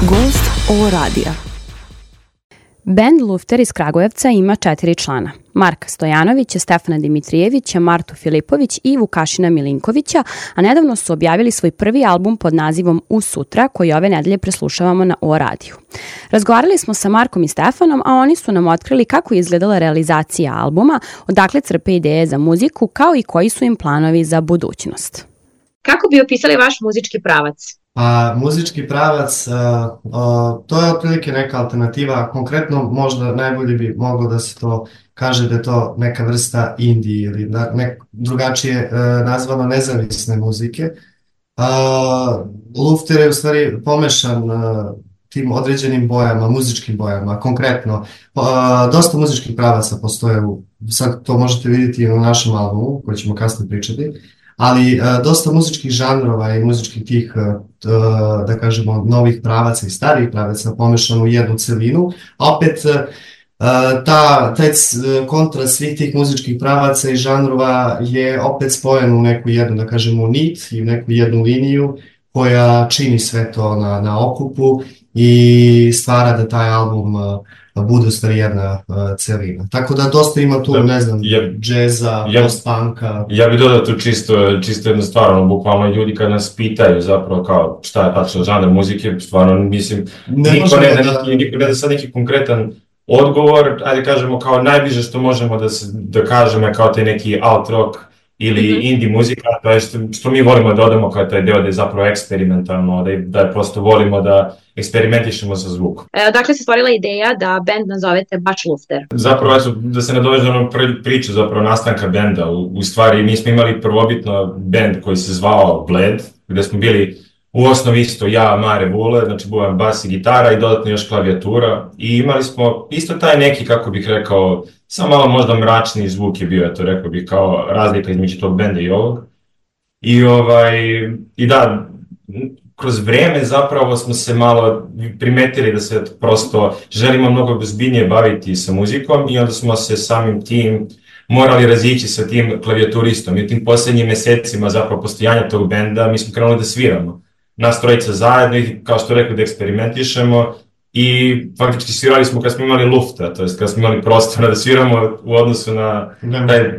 Gost O radija. Bend Lufter iz Kragujevca ima 4 člana. Marka Stojanovića, Stefana Dimitrijevića, Martu Filipović i Vukašina Milinkovića, a nedavno su objavili svoj prvi album pod nazivom U sutra, koji ove nedelje preslušavamo na O radiju. Razgovarali smo sa Markom i Stefanom, a oni su nam otkrili kako je izgledala realizacija albuma, odakle crpe ideje za muziku, kao i koji su im planovi za budućnost. Kako bi opisali vaš muzički pravac? Muzički pravac, to je otprilike neka alternativa, konkretno možda najbolje bi moglo da se to kaže da je to neka vrsta indie ili drugačije nazvano nezavisne muzike. Lufter je u stvari pomešan tim određenim bojama, muzičkim bojama, konkretno. Dosta muzičkih pravaca postoje, sad to možete vidjeti i na našem albumu, koji ćemo kasnije pričati, ali dosta muzičkih žanrova i muzičkih tih, da kažemo, novih pravaca i starih pravaca pomešano u jednu celinu, a opet taj kontrast svih tih muzičkih pravaca i žanrova je opet spojen u neku jednu, da kažemo, nit i u neku jednu liniju koja čini sve to na okupu i stvara da taj album bude u stvari jedna celina. Tako da dosta ima tu, ne znam, džeza, post-punka. Ja bih dodao tu čisto jednu stvar, bukvalno ljudi kad nas pitaju zapravo kao šta je tačno žanr muzike, stvarno mislim, niko ne da sad neki konkretan odgovor, ajde kažemo kao najbliže što možemo da kažemo je kao taj neki alt rock ili indie muzika, to je što mi volimo da odemo kao taj deo da je zapravo eksperimentalno, da prosto volimo da eksperimentišemo sa zvukom. Odakle se stvorila ideja da bend nazovete baš Lufter? Zapravo, da se nadoveže na priču zapravo nastanka benda. U stvari, mi smo imali prvobitno bend koji se zvao Bled, gde smo bili u osnovi isto ja, Mare Vule, znači buvam bas i gitara i dodatno još klavijatura. I imali smo isto taj neki, kako bih rekao, samo malo možda mračni zvuk je bio, to rekao bih kao razlika između tog benda i ovog. I da, kroz vreme zapravo smo se malo primetili da se prosto želimo mnogo ozbiljnije baviti sa muzikom i onda smo se samim tim morali razići sa tim klavijaturistom. I u tim posljednjim mesecima zapravo postojanja tog benda mi smo krenuli da sviramo. Nas trojica zajedno i kao što rekao da eksperimentišemo i faktički svirali smo kad smo imali lufta, to jest kad smo imali prostora da sviramo u odnosu na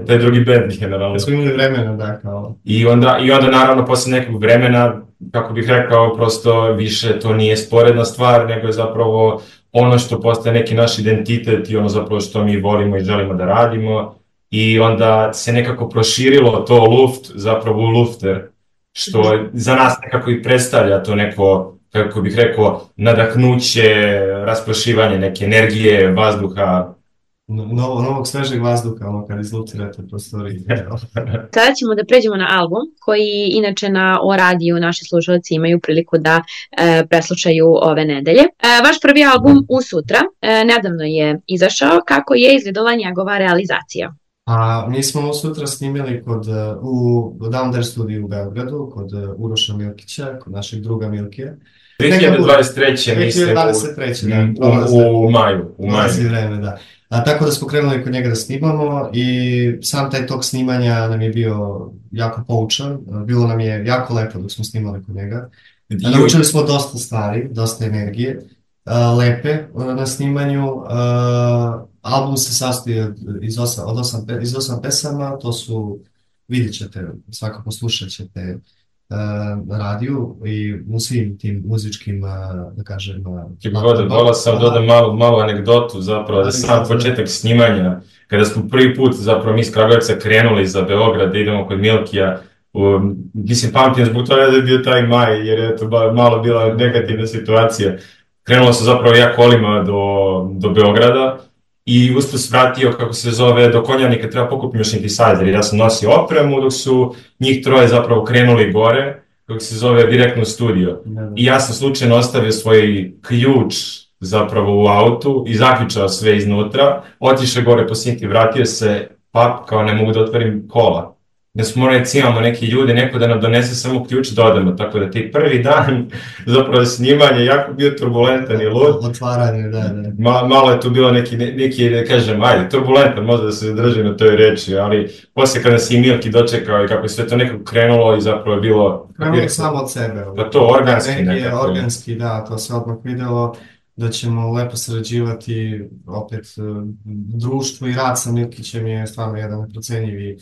taj drugi bend generalno. Da smo imali vremena, da, kao. I onda naravno posle nekog vremena, kako bih rekao, prosto više to nije sporedna stvar, nego je zapravo ono što postaje neki naš identitet i ono zapravo što mi volimo i želimo da radimo. I onda se nekako proširilo to luft zapravo u lufter, što za nas nekako i predstavlja to neko, kako bih rekao, nadahnuće, rasprošivanje neke energije, vazduha. Novog svežeg vazduha, ono kad izlutirate prostorije. Sada ćemo da pređemo na album, koji inače na O radiju naši slušalci imaju priliku da preslušaju ove nedelje. Vaš prvi album U sutra nedavno je izašao. Kako je izgledala njegova realizacija? Mi smo U sutra snimili u Down There studiju u Beogradu, kod Uroša Milkića, kod našeg druga Milkija. 2023. mislim, 2023. u maju. Vreme, da. Tako da smo krenuli kod njega da snimamo i sam taj tok snimanja nam je bio jako poučan, bilo nam je jako lepo dok smo snimali kod njega. Naučili smo dosta stvari, dosta energije, lepe na snimanju. Album se sastoji iz 8 pesama, to su, vidjet ćete, svakako slušat ćete na radiju i u svim tim muzičkim, da kažem... Sam dodam malu anegdotu zapravo, da sam početak snimanja, kada smo prvi put zapravo mi iz Kragujevca krenuli za Beograd da idemo kod Milkija, mislim pamtim zbog toga da je bio taj maj, jer je to malo bila negativna situacija. Krenulo se zapravo ja kolima do Beograda i usput vratio, kako se zove, do Konjarnika treba pokupiti još synthesizer. Ja sam nosio opremu dok su njih troje zapravo krenuli gore, kako se zove, direktno u studio. I ja sam slučajno ostavio svoj ključ zapravo u autu i zaključao sve iznutra, otišao gore po synthi, vratio se, kao ne mogu da otvorim kola. da smo recimo neki ljudi, neko da nam donese samo ključ da odemo, tako da ti prvi dan zapravo snimanje jako bio turbulentan i lud. Otvaranje, da. Malo je tu bilo neki, da kažem, ajde, turbulentan, možda da se drži na toj reči, ali poslije kada si i Milki dočekao i kako je sve to nekako krenulo i zapravo je bilo... Krenulo samo od sebe. Pa to organski nekako. Organski, da, to se odmah vidjelo da ćemo lepo sarađivati, opet društvo i rad sa Milkićem je stvarno jedan neprocenjivi,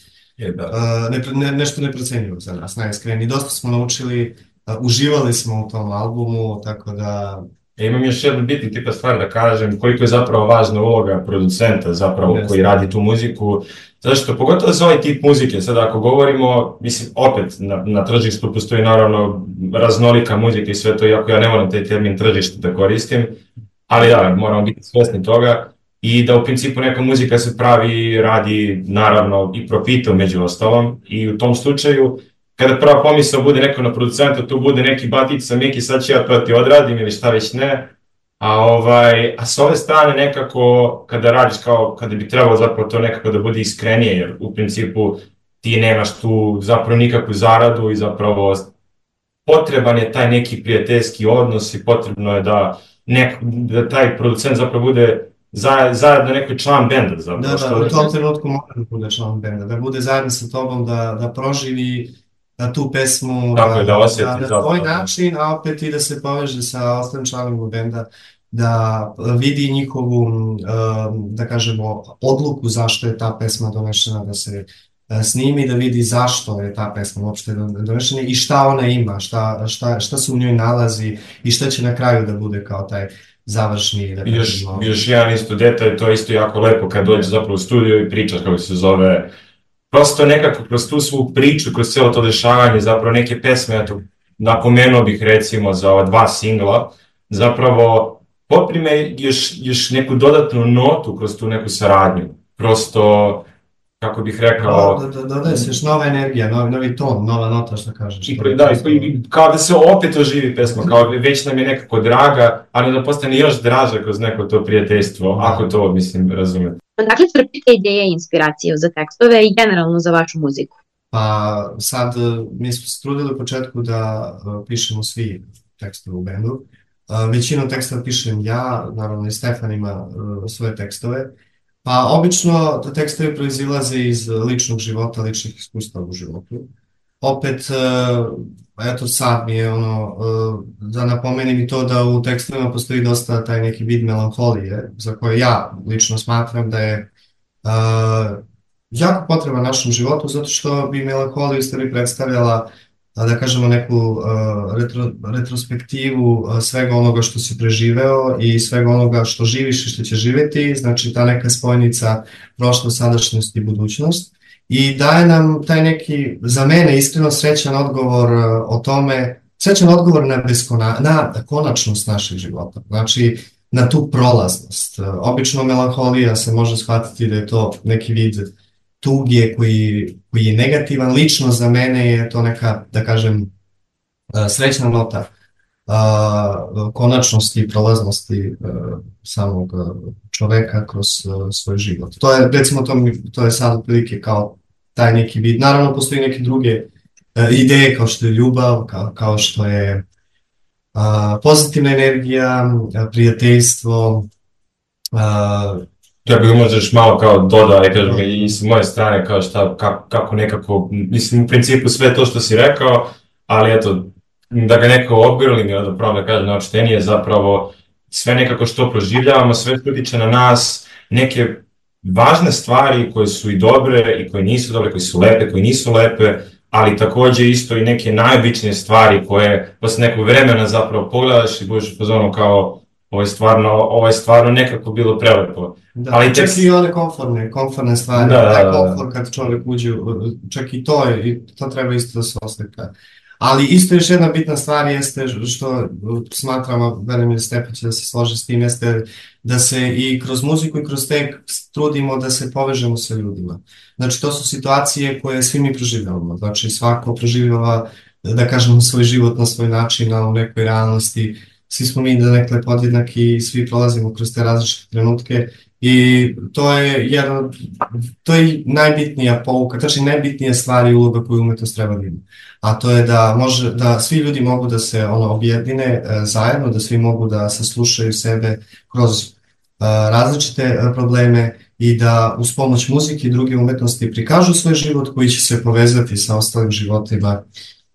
nešto neprocenjivo za nas, najiskreni. Dosta smo naučili, uživali smo u tom albumu, tako da... Imam još jednu bitnu tipa stvar da kažem, koliko je zapravo važna uloga producenta zapravo koji radi tu muziku, zašto pogotovo za ovaj tip muzike, sad ako govorimo, mislim, opet na tržištu postoji naravno raznolika muzika i sve to, iako ja ne moram taj termin tržište da koristim, ali da, moramo biti svjesni toga i da u principu neka muzika se pravi, radi naravno i profitom među ostalom i u tom slučaju kada prva pomisao bude neko na producenta, tu bude neki batica, Miki, sad ću ja to ti odradim ili šta već ne, a s ove strane nekako kada radiš kao, kada bi trebalo zapravo to nekako da bude iskrenije, jer u principu ti nemaš tu zapravo nikakvu zaradu i zapravo potreban je taj neki prijateljski odnos i potrebno je da taj producent zapravo bude zajedno neki član benda zapravo. Da, u tom trenutku mora da bude član benda, da bude zajedno sa tobom, da proživi tu pesmu na tvoj način, a opet i da se poveže sa ostalim članovima benda, da vidi njihovu, da kažemo, odluku zašto je ta pesma donešena da se snimi, da vidi zašto je ta pesma uopšte donešena i šta ona ima, šta se u njoj nalazi i šta će na kraju da bude kao taj završni, da kažemo... Još jedan isto detalj, to je isto jako lepo kad dođe zapravo u studio i pričaš kako se zove. Prosto nekako kroz tu svu priču, kroz cijelo to dešavanje, zapravo neke pesme, eto, napomenuo bih recimo za ova 2 singla, zapravo poprime još neku dodatnu notu kroz tu neku saradnju. Prosto, kako bih rekao... Dodaje se još nova energija, novi ton, nova nota, što kažeš. Da, kao da se opet oživi pesma, kao već nam je nekako draga, ali da postane još draža kroz neko to prijateljstvo, ako to, mislim, razumete. Dakle, crpite ideje i inspiraciju za tekstove i generalno za vašu muziku? Pa sad, mi smo se trudili u početku da pišemo svi tekstove u bendu. Većinu tekstova pišem ja, naravno i Stefan ima svoje tekstove. Pa obično tekstovi proizilaze iz ličnog života, ličnih iskustava u životu. Opet, eto sad mi je da napomenem i to da u tekstovima postoji dosta taj neki vid melanholije, za koje ja lično smatram da je jako potreban našem životu, zato što bi melanholija u stvari predstavljala, da kažemo, neku retrospektivu svega onoga što si preživeo i svega onoga što živiš i što će živjeti, znači ta neka spojnica prošlost, sadašnjost i budućnost. I daje nam taj neki, za mene, iskreno srećan odgovor o tome, srećan odgovor na konačnost našeg života, znači na tu prolaznost. Obično melanholija se može shvatiti da je to neki vid tuge koji je negativan. Lično za mene je to neka, da kažem, srećna nota konačnosti i prolaznosti samog čoveka kroz svoj život. To je, recimo, to je sad otprilike kao taj neki vid. Naravno, postoji neke druge ideje kao što je ljubav, kao što je pozitivna energija, prijateljstvo. Ja bih možeš malo kao dodao, kažem, i s moje strane, kao kako nekako, mislim, u principu sve to što si rekao, ali eto, da ga neko obgrlim, da pravo da kažem, naočitenije, zapravo sve nekako što proživljavamo, sve što utiče na nas, neke važne stvari koje su i dobre i koje nisu dobre, koje su lepe, koje nisu lepe, ali također isto i neke najobičnije stvari koje posle nekog vremena zapravo pogledaš i budeš u fazonu kao ovo je stvarno nekako bilo prelepo. Da, ali čak i one konforne stvari, taj komfort kad čovjek uđe, čak i to treba isto da se oslika. Ali isto još jedna bitna stvar jeste, što smatramo, verujem da Stefan će da se složi s tim, jeste da se i kroz muziku i kroz tekst trudimo da se povežemo sa ljudima. Znači, to su situacije koje svi mi proživljavamo. Znači, svako proživljava, da kažemo, svoj život na svoj način, u nekoj realnosti. Svi smo mi donekle podjednaki i svi prolazimo kroz te različite trenutke I to je najbitnija pouka, znači najbitnija stvar i uloga koju umetnost treba da ima. A to je da svi ljudi mogu da se objedine zajedno, da svi mogu da saslušaju sebe kroz različite probleme i da uz pomoć muzike i druge umetnosti prikažu svoj život koji će se povezati sa ostalim životima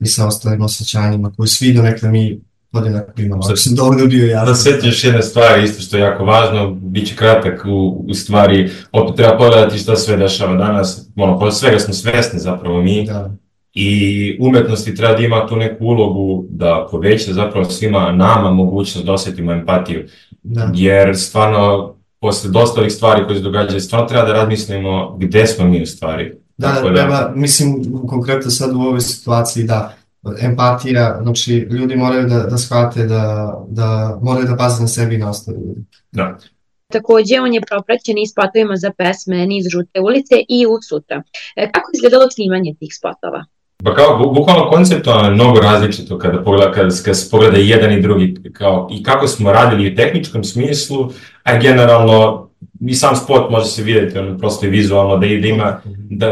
i sa ostalim osjećanjima koji svi donekle mi podjednako imamo. Ako sam dovoljno bio jasno. Da sjetiš jedne stvari isto što je jako važno, bit će kratak u stvari, opet treba pogledati šta sve dešava danas, svega smo svesni zapravo mi. Da. I umetnosti treba da ima tu neku ulogu da poveća zapravo svima nama mogućnost da osjetimo empatiju. Da. Jer stvarno, posle dosta ovih stvari koje se događaju, stvarno treba da razmislimo gde smo mi u stvari. Treba, mislim, konkretno sad u ovoj situaciji, empatija, znači ljudi moraju da shvate da moraju da paze na sebi i na ostale ljudi. Da. Takođe, on je propraćen i spotovima za pesme Niz žute ulice i U sutra. Kako je izgledalo snimanje tih spotova? Pa kao, bukvalno konceptualno je mnogo različito kada se pogleda jedan i drugi, i kako smo radili u tehničkom smislu, a generalno i sam spot može se vidjeti, prosto i vizualno,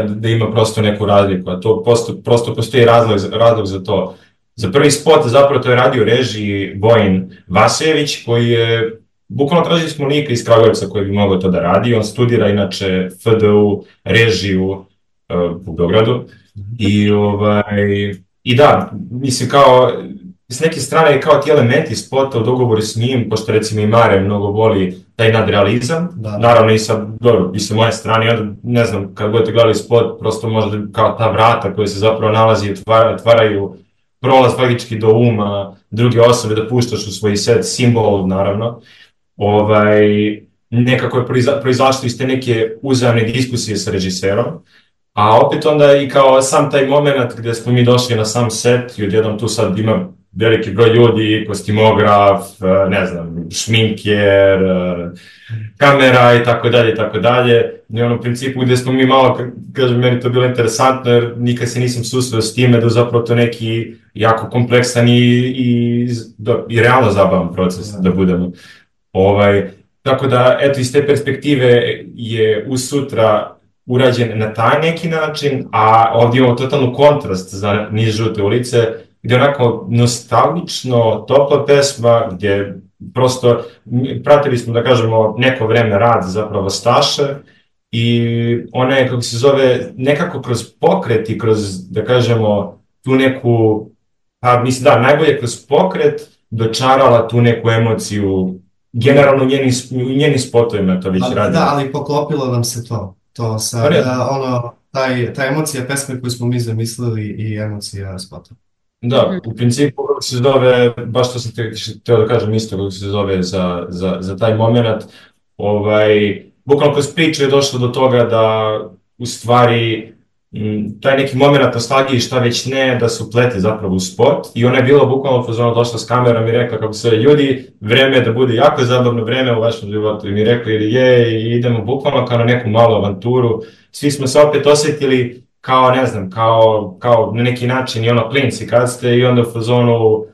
da ima prosto neku razliku, a to prosto postoji razlog za to. Za prvi spot zapravo to je radio režiji Vojin Vasejević, koji je, bukvalno tražili smo lika iz Kragujevca koji bi mogao to da radi, on studira inače FDU režiju u Beogradu. I da, mislim kao, s neke strane kao ti elementi spota u dogovoru s njim, pošto recimo i Mare mnogo voli taj nadrealizam, naravno i sa moje strane, onda ne znam, kad budete gledali spot, prosto možda kao ta vrata koja se zapravo nalazi, otvaraju prolaz faktički do uma druge osobe da puštaš u svoj set, simbol naravno, nekako je proizašlo iz te neke uzajamne diskusije sa režiserom. A opet onda i kao sam taj moment gde smo mi došli na sam set i odjednom tu sad ima veliki broj ljudi, kostimograf, ne znam, šminker, kamera i tako dalje. I u principu gde smo mi malo, kažem, meni to bilo interesantno jer nikad se nisam susreo s time da zapravo to neki jako kompleksan i realno zabavan proces da budemo. Tako da, eto, iz te perspektive je U sutra urađen na taj neki način, a ovdje imamo totalnu kontrast za Niz žute ulice, gdje je onako nostalgično, topla pesma, gdje prosto pratili smo, da kažemo, neko vreme rad zapravo Staše i ona je, kako se zove, nekako kroz pokret i kroz, da kažemo, tu neku, pa mislim da, najbolje kroz pokret dočarala tu neku emociju, generalno u njenim spotovima to već radi. Da, ali poklopilo nam se to. To sa, ta emocija pesme koju smo mi zamislili i emocija spota. Da, u principu kako se zove, baš to sam teo da kažem isto kako se zove za taj moment, bukvalno kroz priču je došlo do toga da u stvari taj neki moment nostalgije šta već ne, da se uplete zapravo u spot i ona je bila bukvalno fazonu došla s kamerom i rekla kako se ljudi, vreme je da bude jako zabavno vreme u vašem životu i mi rekli i idemo bukvalno kao na neku malu avanturu, svi smo se opet osjetili kao ne znam, kao na neki način i klinci kad ste i onda u fazonu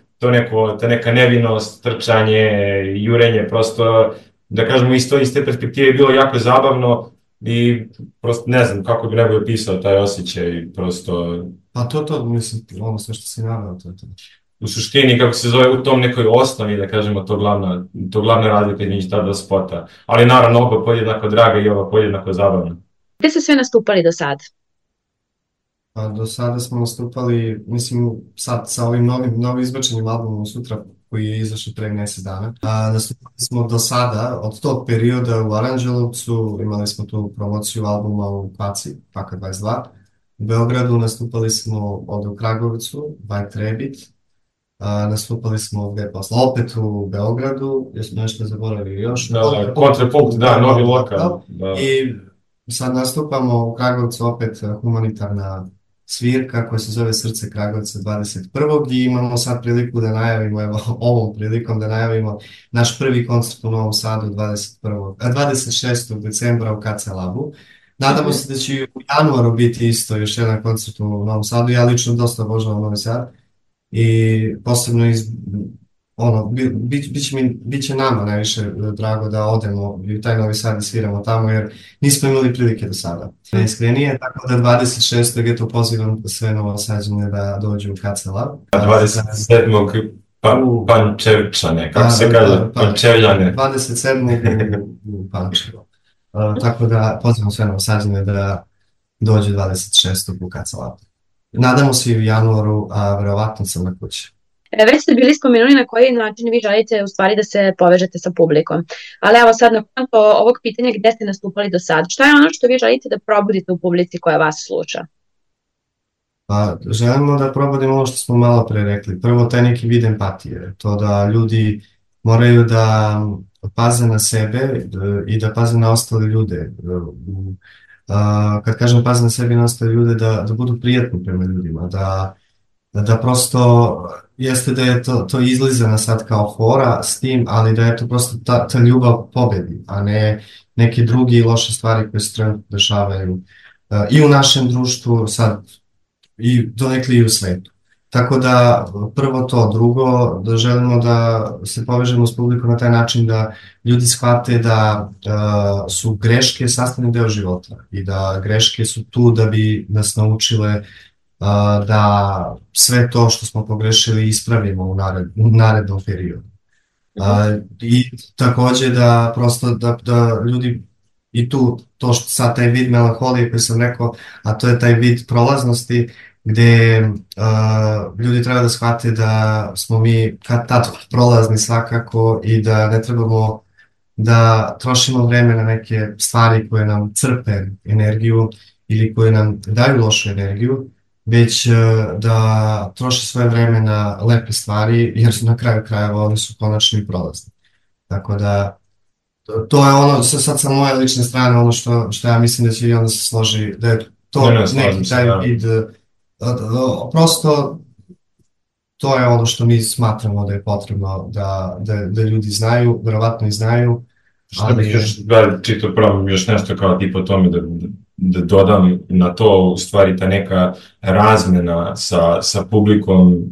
ta neka nevinost, trčanje, jurenje, prosto da kažemo iz te perspektive je bilo jako zabavno. I prosto ne znam kako bi nego opisao taj osjećaj, prosto... Pa to, mislim, ono sve što si naveo, to je to. U suštini, kako se zove, u tom nekoj osnovi, da kažemo, to glavna razlika između ta dva spota. Ali naravno, oba podjednako draga i oba podjednako zabavna. Gde ste sve nastupali do sada? Pa do sada smo nastupali, mislim, sad sa ovim novim izbačenim albumom Sutra, koji je izašao pre mjesec dana. Nastupali smo do sada, od tog perioda u Aranđelovcu, imali smo tu promociju albuma u Paci, Paka 22. U Beogradu nastupali smo ovdje u Kragujevcu, White Rabbit. Nastupali smo gdje posle, opet u Beogradu, jesmo nešto zaboravili još. Kontrapunkt, da, novi lokal. I sad nastupamo u Kragujevcu opet humanitarna svirka koja se zove Srce Kragujevca 21. i imamo sad priliku da najavimo, evo ovom prilikom da najavimo naš prvi koncert u Novom Sadu 26. decembra u KC Labu. Nadamo se da će u januaru biti isto još jedan koncert u Novom Sadu, ja lično dosta obožavam Novi Sad i posebno biće nama najviše drago da odemo i u taj Novi Sad i sviramo tamo, jer nismo imali prilike do sada. Najiskrenije, tako da 26. je to pozivam sve Novosađane da dođu u KC Lab. 27. Pančevčane, kako se kaže, Pančevljane. 27. u Pančevo. Tako da pozivam sve Novosađane da dođu 26. u KC Lab. Nadamo se i u januaru, a verovatno sam na kući. Već ste bili spomenuli na koji način vi želite u stvari da se povežete sa publikom. Ali evo sad na konto ovog pitanja gde ste nastupali do sad, šta je ono što vi želite da probudite u publici koja vas sluša? Pa, želimo da probudimo ono što smo malo pre rekli. Prvo, taj neki vid empatije. To da ljudi moraju da paze na sebe i da paze na ostale ljude. Kad kažem paze na sebe i na ostale ljude, da budu prijatni prema ljudima, da prosto jeste da je to izlizano sad kao fora s tim, ali da je to prosto ta ljubav pobedi, a ne neke druge loše stvari koje se trenutno dešavaju i u našem društvu sad i donekli i u svetu. Tako da prvo to, drugo da želimo da se povežemo s publikom na taj način da ljudi shvate da su greške sastavni deo života i da greške su tu da bi nas naučile da sve to što smo pogrešili ispravimo u narednom periodu. I takođe da prosto da ljudi i tu to što sad taj vid melanholije koji sam rekao, a to je taj vid prolaznosti gde ljudi treba da shvate da smo mi kad tad prolazni svakako i da ne trebamo da trošimo vreme na neke stvari koje nam crpe energiju ili koje nam daju lošu energiju, već da troše svoje vreme na lepe stvari, jer su na kraju krajeva oni su konačni prolazni. Tako da, to je ono, sad sa moje lične strane, ono što ja mislim da će i onda se složi, da je to neki taj vid, prosto to je ono što mi smatramo da je potrebno da ljudi znaju, verovatno i znaju. Što bih još čito probam još nešto kao tipa o tome da dodam na to, u stvari ta neka razmena sa publikom,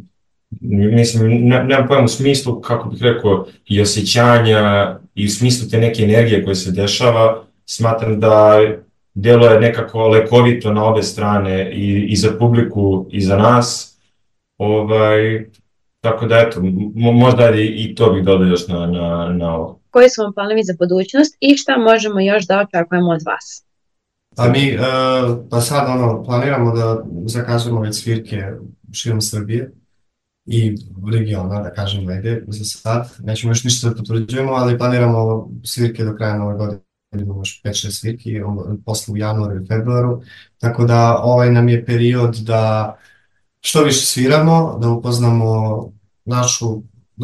mislim, nemam pojma u smislu, kako bih rekao, i osjećanja i u smislu te neke energije koje se dešava, smatram da delo je nekako lekovito na obe strane i za publiku i za nas, tako da eto, možda i to bih dodao još na ovo. Koji su vam planovi za budućnost i šta možemo još da očekujemo od vas? A mi pa sad planiramo da zakazujemo već svirke širom Srbije i regiona, da kažem negde za sad. Nećemo još ništa da potvrđujemo, ali planiramo svirke do kraja nove godine. Imamo još 5-6 svirki, posle u januaru i februaru. Tako da ovaj nam je period da što više sviramo, da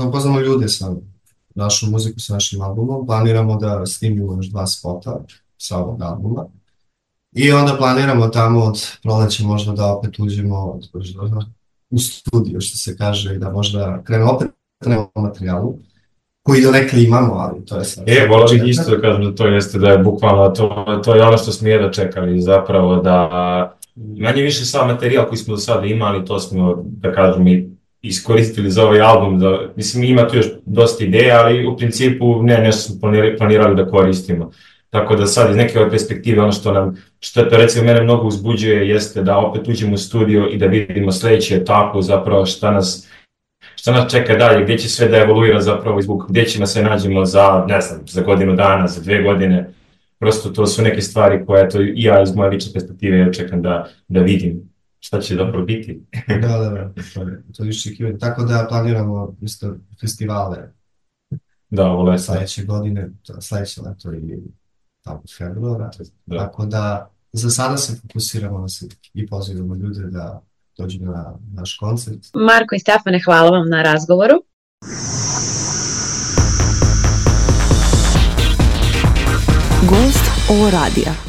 upoznamo ljude sa našu muziku, sa našim albumom. Planiramo da snimimo još 2 spota sa ovog albuma. I onda planiramo tamo od proleća možda da opet uđemo u studio, što se kaže, i da možda krenemo opet na materijalu, koji donekle imamo, ali to je sad. Volao bih isto da kažem da to jeste, da je bukvalno, to je ono što smo jedva čekali, zapravo da manje više sav materijal koji smo do sada imali, to smo, da kažem, i iskoristili za ovaj album, mislim, ima tu još dosta ideja, ali u principu nešto smo planirali da koristimo. Tako da sad iz neke ove perspektive ono što to recimo mene mnogo uzbuđuje jeste da opet uđemo u studio i da vidimo sledeću etapu, zapravo šta nas čeka dalje, gdje će sve da evoluira zapravo zvuk, gdje ćemo se nađemo za, ne znam, za godinu dana, za 2 godine. Prosto to su neke stvari koje i ja iz moje lične perspektive čekam da vidim šta će zapravo biti. Da, to je iščekivanje. Tako da planiramo isto festivale. Da, ovo leto. Sledeće godine, sledeće leto i tamo februara. Tako da za sada se fokusiramo na svirke i pozivamo ljude da dođu na naš koncert. Marko i Stefane, hvala vam na razgovoru. Gost ovo radija.